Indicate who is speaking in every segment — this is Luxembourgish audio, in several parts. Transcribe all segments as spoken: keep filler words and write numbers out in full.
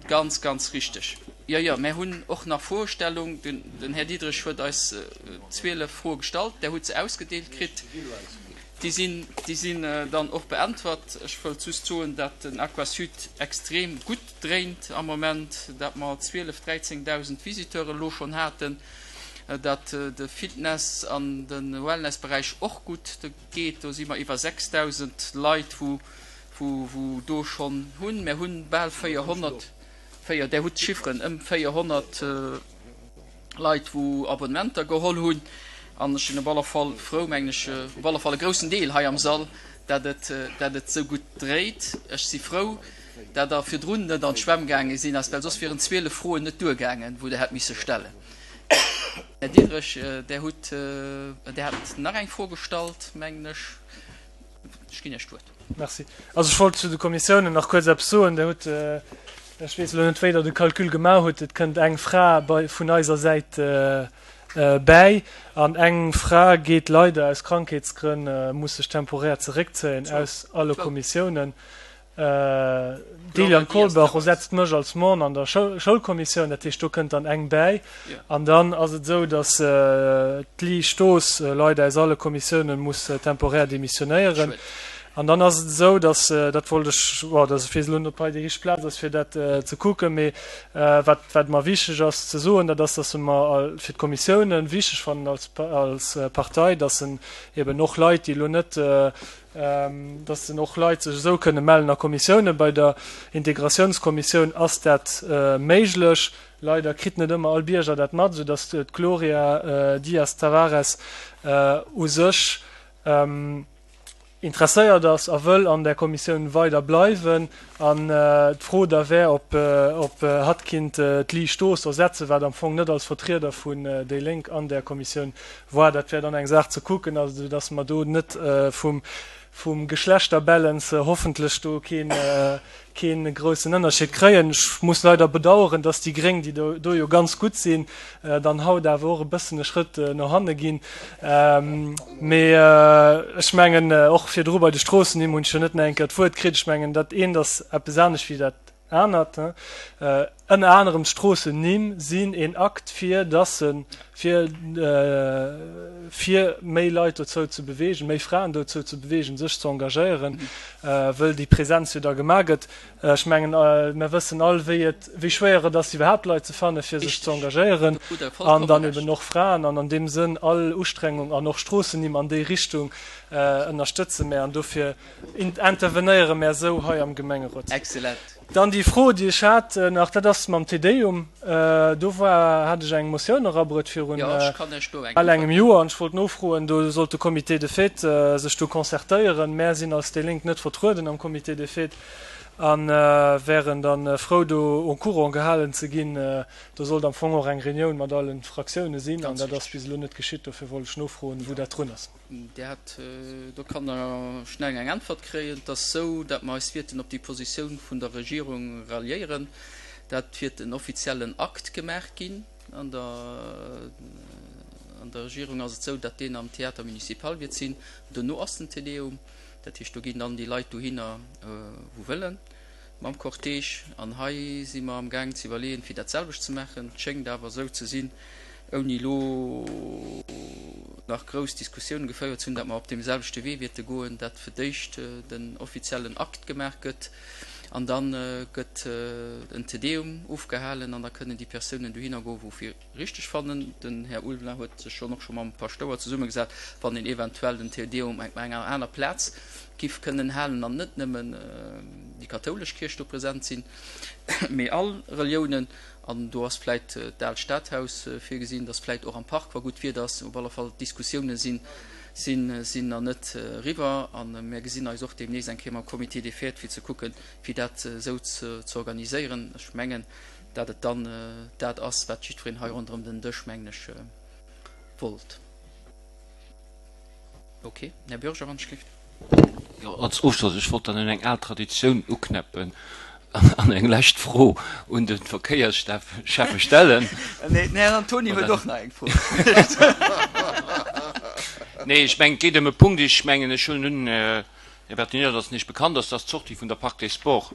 Speaker 1: Ganz, ganz richteg. Jo, jo, mär hunn och nach Froestellung. Den Här Diderich huet eis zwielef Froe gestallt. Der hutt se ausgedeelt kritt. Déi sinn, déi sinn dann och beäntwert. Ech wëllt just soen, dat den Aquasud extrem gutt dréint am Moment, dat mer zwielef, dräizéngdausend Visiteuren elo schonn haten, dat de Fitness an de Wellnessberäich och gutt geet. Do si mer iwwer sechsdausend Leit, wou, wou, wou do schonn hunn. Mer hunn bal véierhonnert, véier, Der hutt d'Chifferen, ëm véierhonnert Leit, wou Abonnementer geholl hunn. An ech sinn op alle Fall frou, mengen ech, op alle Fall e groussen Deel hei am Sall, dat et, dat et esou gutt dréit. Ech si frou, dat Der virdrun net an d'Schwämm gaange sinn, well soss wieren zwielef Froen net duergaangen, wou Der hätt misse stellen. Här Diderich, Der hutt, Der hat nach eng Fro gestallt, mengen ech. Ech ginn Iech d'Wuert.
Speaker 2: Merci. Also ech wollt zu de Kommissiounen nach kuerz eppes soen. Der hutt, ech weess elo net, wéi Der de Calcul gemaach hutt, et kënnt eng Fra bei, vun eiser Säit bäi an eng Fra geet leider aus Krankheetsgrënn, muss sech temporär zeréckzéien aus alle Kommissiounen. D'Eliane Kolbach ersetzt mech als Member an der Schoulkommissioun, dat heescht do kënnt dann eng bäi. An dann ass et esou, datt d'Li Stoos leider aus alle Kommissiounen muss temporär demissionéieren. An dann ass et esou, datt, dat wollt ech, bon, dat ech weess elo net, ob hei déi richteg Plaz ass fir dat ze kucken, mee wat, wat mer wichteg ass ze soen, dat ass, datt mer fir d'Kommissiounen wichteg fannen als, als Partei, datt en eben och Leit, déi elo net, dass dann och Leit sech esou kënne mellen a Kommissiounen. Bei der Integratiounskommissioun ass dat méiglech. Leider kritt net ëmmer all Bierger dat mat, esou dass d'Gloria Dias Tavares u sech interesséiert ass a wëll an där Kommissioun weider bleiwen. An d'Fro da wär, ob ob hatt kinnt d'Li Stoos ersetzen, wat am Fong net als Vertrieder vun déi Lénk an där Kommissioun war. Dat wär dann eng Saach ze kucken, also esou dass mer do net vum vum Geschlechterbalance hoffentlech do keen kee groussen Ënnerscheed kréien. Ech muss leider bedauern, dass déi Gréng, déi do do jo ganz gutt sinn, dann haut awer och e bëssen e Schrëtt no hanne ginn. Mee ech mengen, och virdru bei de Stroossennimm hunn ech jo net nach eng Kéier d'Wuert kritt. Ech mengen, dat eent ass eppes anescht wéi dat anert. Ënner anerem d'Stroossennimm sinn een Akt, fir dass se, fir fir méi Leit dozou ze beweegen, méi Fraen dozou ze beweegen, sech ze engagéieren, wëll déi Präsenz jo da gemaach gëtt. Ech mengen, mer wëssen all, wéi et, wéi schwéier et ass, iwwerhaapt Leit ze fannen, fir sech ze engagéieren, an dann eben och Fraen. An an deem Sënn all Ustrengung an och Stroossennimm an déi Richtung ënnerstëtze mär an dofir intervenéiere mär esou hei am Gemengerot.
Speaker 1: Excellent.
Speaker 2: Dann déi Fro, déi ech hat nach, dat ass mam Te Deum. Do war, hat ech eng Motioun erabruet virun bal engem Joer an ech wollt nofroen, do sollt de Comité des fêtes sech do concertéieren. Mär sinn als déi Lénk net vertrueden am Comité des fêtes a wären da frou, do au courant gehalen ze ginn. Do sollt am Fong och eng Reunioun mat allen Fraktioune sinn an dat ass bis elo net geschitt. Dofir wollt ech nofroen, wou dat drun ass.
Speaker 1: Dir hat, do kann Der schnell eng Äntwert kréien. Et ass esou, datt mer eis wierten op déi Positioun vun der Regierung ralliéieren. Dat wiert en offiziellen Akt gemaach ginn. An der, an der Regierung ass et esou, datt deen am Théâtre municipal wiert sinn. Dono ass den Te Deum. Dat heescht, do ginn dann déi Leit dohinner, wou wëllen, mam Cortège. An hei si mer amgaang ze iwwerleeën, fir dat selwecht ze maachen. Et schéngt awer esou ze sinn, ouni elo nach grouss Diskussiounen gefouert ze hunn, datt mer op deem selwechte Wee wierte goen, datt fir d'éischt den offiziellen Akt gemaach gëtt an da gëtt en Te Deum ofgehalen an da kënnen déi Persounen dohinner goen, wou fir richteg fannen. Den Här Ulveling huet sech schonn och scho mam Paschtouer zesummegesat, wann een eventuell den Te Deum op enger aner Plaz giff kënnen halen an net nëmmen déi kathoulesch Kierch do present sinn, mee all Reliounen. An do ass vläit d'Aalt Stadhaus virgesinn, dass vläit och am Park, wa gutt Wieder ass. Op alle Fall, d'Diskussioune sinn, sinn, sinn nach net eriwwer. A mir gesinn eis och deemnächst eng Kéier mam Comité des Fêtes, fir ze kucken, fir dat esou ze organiséieren. Ech mengen, dat et dann dat ass, wat jiddwereen hei ronderëm den Dësch, mengen ech, wollt. Ok. Här Bürger, wann ech gelift.
Speaker 3: Jo, als Ofschloss, ech wollt dann un eng al Traditioun uknäppen an eng lescht Fro un de Verkéiersschäffe stellen.
Speaker 1: Nee, den Här Antoni huet och nach eng Fro.
Speaker 3: Nee, ech mengen, et geet ëm e Punkt, ech mengen, ech huelen un, Här Bertinelli, datt en Iech bekannt ass, dass d'Sortie vun der Parc des Sports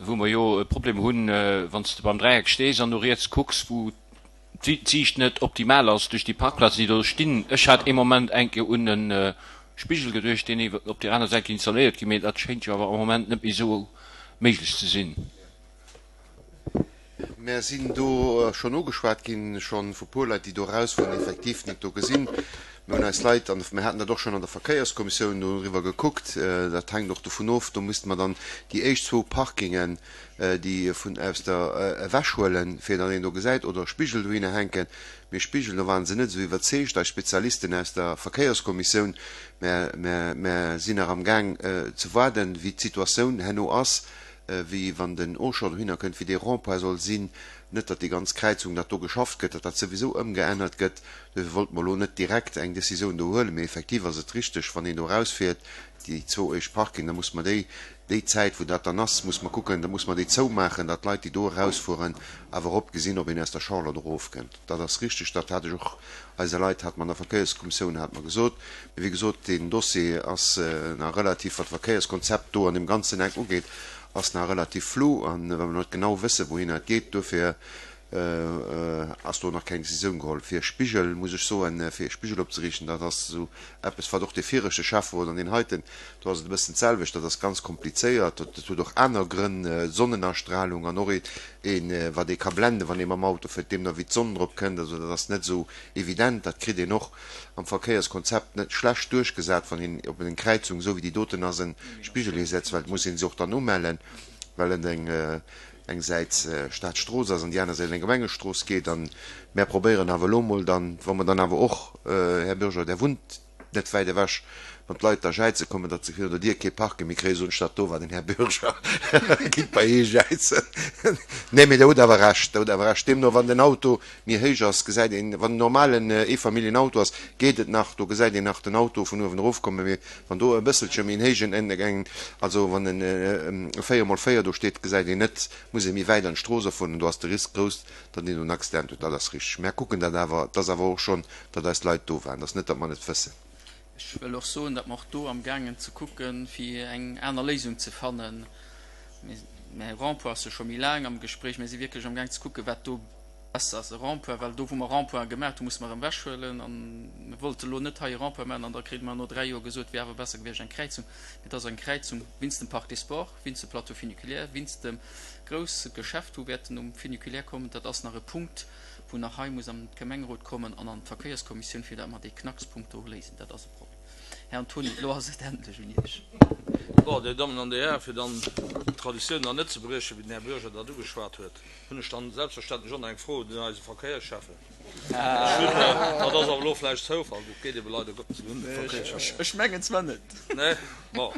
Speaker 3: wou mer jo e Problem hunn, wann s de beim Dräieck stees an no riets kucks, wou d'Siicht net optimal ass duerch déi Parkplazen, déi do stinn. Ech hat ee Moment eng Kéier un e Spigel geduecht, deen iwwer op där aner Säit géing installéiert ginn, mee dat schéint jo awer am Moment net méi esou méiglech ze sinn.
Speaker 4: Mär sinn do schonn ugeschwat ginn, scho vu puer Leit, déi do erausfueren, effektiv net do gesinn. Mir hunn eis Leit, an mir haten dat och schonn an der Verkéierskommissioun doriwwer gekuckt, dat hänkt och dovun of, do misste mer dann déi éischt zwou Parkingen, déi vun aus der ewechhuelen, fir datt een do gesäit, oder e Spigel dohinner hänken. Mee Spigel, do ware se net esou iwwerzeegt, eis Spezialisten aus der Verkéierskommissioun. Mä mer sinn nach amgaang ze waarden, wéi d'Situatioun herno ass, wéi wann den Auchan dohinner kënnt, wéi dee Rond-point soll sinn. Net, datt déi ganz Kräizung, datt do geschafft gëtt, datt dat souwisou ëmgeännert gëtt. Duerfir wollte mer elo net direkt eng Décisioun do huelen. Mee effektiv ass et richteg, wann een do erausfiert, déi zwou éischt Parking, da muss mer déi, déi Zäit, wou dat dann ass, muss mer kucken, da muss mer déi zoumaachen, datt d'Leit, déi do erausfueren, awer erop gesinn, ob een aus der Charlotte erofkënnt. Dat ass richteg, dat hat ech och eise Leit, hat mer an der Verkéierskommissioun, hat mer gesot. Mee wéi gesot, deen Dossier ass nach relativ, wat d'Verkéierskonzept do an deem ganzen Eck ugeet, ass nach relativ flou an well mer net genau wëssen, wouhinner et geet, duerfir ass do nach keng Décisioun geholl. Fir e Spigel, muss ech soen, fir e Spigel opzeriichten, dat ass esou eppes, wat och dee viregte Schäfferot an deen heiten, do ass et e bëssen d'selwecht, dat ass ganz komplizéiert, dat huet och aner Grënn, Sonnenastrahlung an och een, wat ee ka blenden, wann ee mam Auto fiert, deemno wéi d'Sonn drop kënnt. Also dat ass net esou evident, dat kritt een och am Verkéierskonzept net schlecht duerchgesat, wann een op eng Kräizung, esou wéi déi doten ass, e Spigel hisetzt, well et muss ee se och dann umellen, well et eng eng Säit Staatsstrooss ass an déi aner Säit eng Gemengestrooss geet. A mär probéieren awer elo emol dann, wa mer dann awer och, Här Bürger, Der wunnt net wäit ewech, wann d'Leit da jäize kommen, datt se virun der Dier kee Parke méi kréien, soen ech, dat do war den Här Bürger, gitt bei hie jäizen. Nee, mee Der hutt awer Recht, Der hutt awer Recht. Deemno, wann den Auto méi héich ass, gesäit een, wann en normalen Eefamilljenauto ass, geet et nach, do gesäit een nach den Auto vun uewen erofkommen, mee wann do e bësselche méi en héijen, en, also wann en véier mol véier do steet, gesäit een net, muss ee méi wäit an d'Strooss erfueren an do ass de Risk grouss, datt een do en Accident huet. Dat ass richteg. Mär kucken dat awer. Et ass awer och schonn, datt eis Leit do waren. Et ass net, datt mer net wëssen.
Speaker 1: Ech wëll och soen, datt mer och do amgaangen ze kucken, fir eng aner Léisung ze fannen. Mä Rond-point ass jo scho méi laang am Gespréich. Mir si wierklech amgaang ze kucken, wat do besser ass, e Rond-point, well do, wou mer Rond-pointe gemaach hunn, musse mer erëm ewechhuelen. A mir wollte elo net hei e Rond-point maachen an da krite mer no dräi Joer gesot, et wier awer besser gewiescht eng Kräizung. Mee et ass eng Kräizung wéinst dem Parc des Sports, wéinst dem Plateau funiculaire, wéinst dem grousse Geschäft, wou wäerten um Funiculaire kommen. Dat ass nach e Punkt, wou nach hei muss an d'Gemengerot kommen an an d'Verkéierskommissioun, fir datt mer dee Knackspunkt do léisen. Dat ass e Problem. Här Antony, elo ass et endlech un Iech.
Speaker 5: Bon, Dir Dammen an Dir Hären, fir dann d'Traditioun nach net ze briechen, wéi den Här Bürger dat ugeschwat huet, hunn ech dann selbstverständlech och nach eng Fro un eise Verkéiersschäffen. Ech hunn, dat ass awer elo vläicht Zoufall, dat geet ebe leider Gottes un de Verkéiersschäffen.
Speaker 1: Ech mengen zwar net.
Speaker 5: Nee, bon.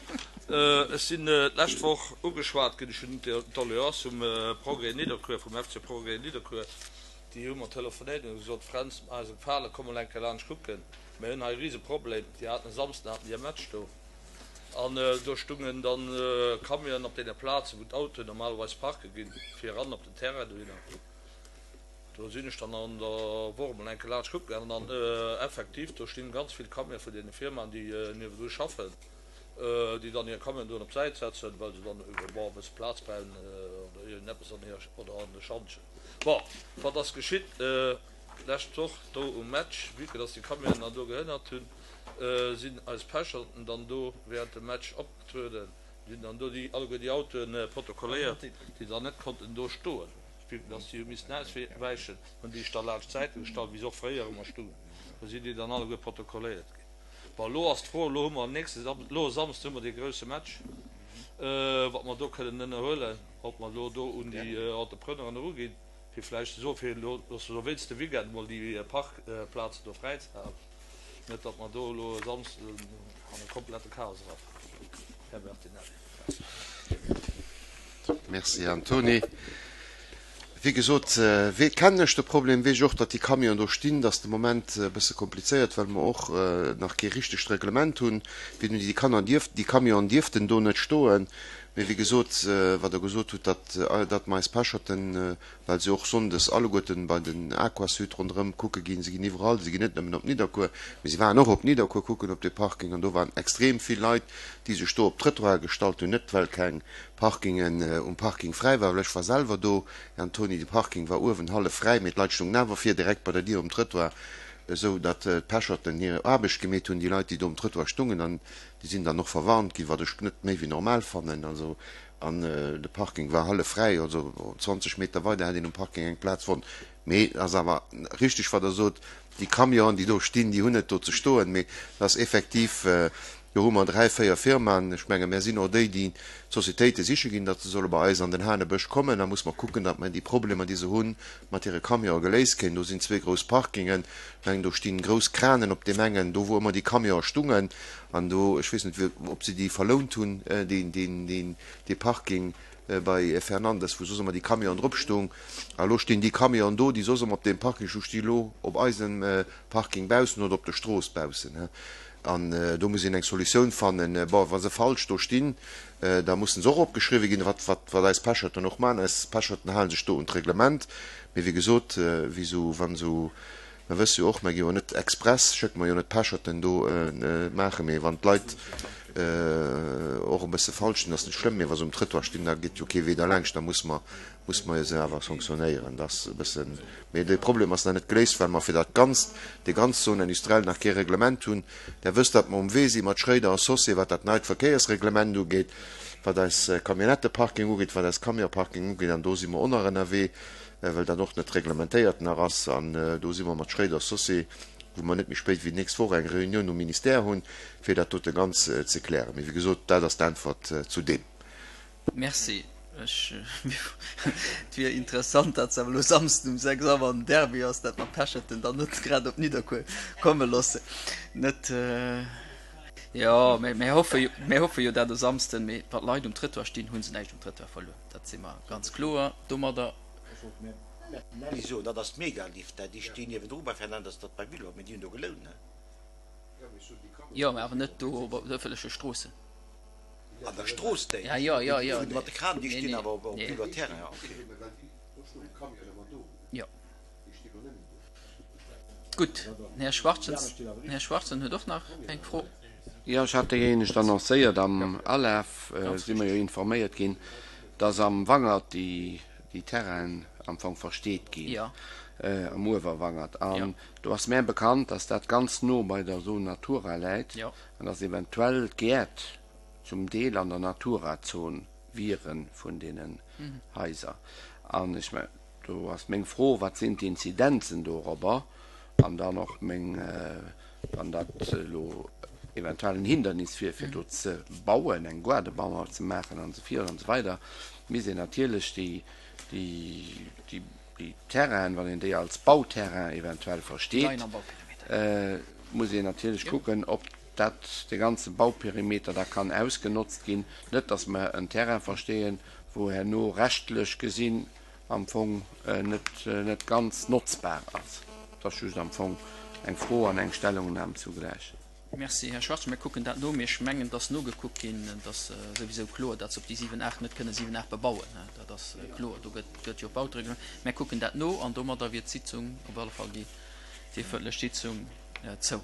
Speaker 5: Ech sinn d'lescht Woch ugeschwat ginn, ech hunn d'Doléance vum Progrès Nidderkuer, vum F C Progrès Nidderkuer, déi hu mer telefonéiert an hu gesot, Fränz, eise Gefale, komm mol eng Kéier laanscht kucken, mir hunn hei e Riseproblem. Déi haten e Samsden haten déi e Match do an do stungen dann Camionen op deene Plazen, wou d'Autoen normalerweis parke ginn, fir eran op den Terrain dohinner. Do sinn ech dann an der Woch emol eng Kéier laanscht kucke gaangen an effektiv, do stinn ganz vill Camionen vun deene Firmaen, déi niewendru schaffen, déi dann hir Camionen do op d'Säit setzen, well se dann, bon, e bësse Plaz brauchen oder iergendeppes an hir, oder an de Schantjen. Bon, wat ass geschitt d'lescht Woch do um Match? Vue que dass déi Camionen dann do gehënnert hunn, sinn eis Pecherten dann do während dem Match opgetrueden, déi hunn dann do déi alleguer déi Autoen protokolléiert, déi dann net konnten do stoen, vue que dass déi hu missen auswäichen, hunn déi sech da laanscht d'Säite gestallt, wéi se och fréier ëmmer stungen. Do sinn déi dann alleguer protokolléiert ginn. Bon, elo ass d'Fro, elo hu mer nächste Sam, elo e Samsden hu mer dee grouse Match, wat mer do kënnen ënnerhuelen, ob mer elo do un déi Entrepreneuren eruginn, fir vläicht ze soen, fir elo, dass se elo wéinst de Weekend emol déi Parkplazen do fräi ze halen, net datt mer do elo e Samsden an e komplette Chaos erafalen. Här Bertinelli.
Speaker 4: Merci, Antony. Wéi gesot, kennen ech de Problem, weess ech och, datt déi Camionen do stinn. Dat ass de Moment e bësse komplizéiert, well mer och nach kee richtegt Reglement hunn, wéi déi Kanner dierften, déi Camionen dierften do net stoen. Mee wéi gesot, wat Der gesot hutt, datt, datt mer eis Pecherten, well se och sonndes alleguerten bei den Aquasud ronderëm kucke ginn, se ginn iwwerall, se ginn net nëmmen op Nidderkuer, mee se waren och op Nidderkuer kucken op dee Parking an do waren extrem vill Leit, déi sech do op d'Trëttoire gestallt hunn, net well keng Parkingen um Parking fräi war, well ech war selwer do, Här Antony, de Parking war uewen hallef fräi, mee d'Leit stungen awer vir direkt bei der Dier um Trëttoir, esou datt d'Pecherten hir Aarbecht gemeet hunn, déi Leit, déi do um Trëttoir stungen. An Déi sinn dann och verwarnt ginn, wat ech net méi wéi normal fannen. Also, an de Parking war hallef fräi, also zwanzeg Meter weider hätt een um Parking eng Plaz fonnt. Mee et ass awer richtig, wat Der sot, déi Camionen, déi do stinn, déi hunn net do ze stoen. Mee et ass effektiv, do hu mer dräi, véier Firmaen. Ech menge mär sinn och déi, déi d'Sociétéite siche ginn, datt se solle bei eis an den Hanebësch kommen. Da muss mer kucken, datt mer déi Problemer, déi se hunn, mat hire Camionë geléist kréien. Do sinn zwee grouss Parkingen. Ech mengen, do stinn grouss Kranen op deem engen, do wou ëmmer déi Camionë stungen. An do, ech weess net, ob se déi verlount hunn, dee Parking bei Fernandes, wou soss ëmmer déi Camionen drop stung. A lo stinn déi Camionen do, déi soss ëmmer op deem Parking stungen, sti lo op eisem Parking baussen oder op der Strooss baussen. An do muss een eng Solutioun fannen. Bon, wa se falsch do stinn, da mussen se och opgeschriwwen ginn, wat, wat eis Pecherten och maachen. Eis Pecherten hale sech do un d'Reglement. Mee wéi gesot, wéi esou, wann esou Mer wësse jo och, mer gi jo net express, schécke mer jo net Pecherten do maachen, mee wann d'Leit och e bësse falsch sinn, ass net schlëmm, mee wa se um Trëttoir stinn, da geet jo kee Wee derlaanscht, da muss mer, muss mer se awer sanktionéieren. Dat ass e bëssen, mee de Problem ass nach net geléist, well mer fir dat Ganzt, déi ganz Zone industrielle nach kee Reglement hunn. Der wësst, datt mer um Wee si mat Schréider a Saussure, wat dat neit Verkéiersreglement ugeet, wat eis Camionnetteparking ugeet, wat eis Camionparking ugeet, an do si mer och nach ënnerwee. well dat och net reglementéiert nach ass, an do si mer mat Schréider Saussure, wou mer net méi spéit wéi d'nächst Woch eng Reunioun um Ministère hunn, fir dat dote ganz ze klären. Mee wéi gesot, dat ass d'Äntwert zu deem.
Speaker 1: Merci. Ech, et wier interessant, dat se awer elo Samsden um sechs Auer en Derby ass, dat mer Pecherten dann net grad op Nidderkuer komme loossen. Net, jo, mä mir hoffe jo, mir hoffe jo dat e Samsden, mee wa Leit um Trëttoir stinn, hu se näischt um Trëttoir verluer. Dat si mer ganz kloer domadder.
Speaker 6: Ech wollt dem Nelly soen, dat ass d'Megalift, déi stinn niewendru bei Fernandes, dat bei Villor, mee déi hunn do gelount, ne?
Speaker 1: Jo, mä awer net do op ëffentleche Stroossen.
Speaker 6: An der Strooss déi?
Speaker 1: Ja, jo, jo, jo.
Speaker 6: Déi mat de Kranen, déi stinn awer op Villor Terrain, ja, okay.
Speaker 1: Jo. Gutt, den Här Schwarzen, den Här Schwarzen huet och nach eng Fro.
Speaker 7: Jo, ech hat déi éinescht annoncéiert. Am Alaf si mer jo informéiert ginn, dass am Wangert déi Terrainen am Fong versteet ginn, am Uewerwangert. An do ass mär bekannt, dass dat ganz no bei der Zone Natura läit an dass eventuell d'Gäert zum Deel an der Natura-Zon wiere vun deenen Haiser. An ech mengen, do ass meng Fro, Wat sinn d'Inzidenzen dorobber? An dann och meng, wann dat elo eventuell en Hindernis wier, fir do ze bauen, eng Gaardebauer ze maachen an esou virun an esou weider, misst een natierlech déi, déi, déi Terrainen, wann een déi als Bauterrain eventuell versteet, muss een natierlech kucken, ob dat de ganze Bauperimeter da kann ausgenotzt ginn. Net, datt mer en Terrain versteeën, wou herno rechtlech gesinn am Fong net, net ganz notzbar ass. Dat ass just am Fong eng Fro an eng Stellungnam zugläich.
Speaker 1: Merci, Här Schwarz. Mir kucken dat no. Mee ech mengen, et ass nogekuckt ginn. Et ass souwisou kloer, datt se op déi siwen, aacht net kënne siwen, aacht bebauen. Dat ass kloer. Do gëtt, gëtt jo Bautereglement. Mir kucken dat no an domadder wier d'Sitzung, op alle Fall déi, déi ëffentlech Sitzung, zou.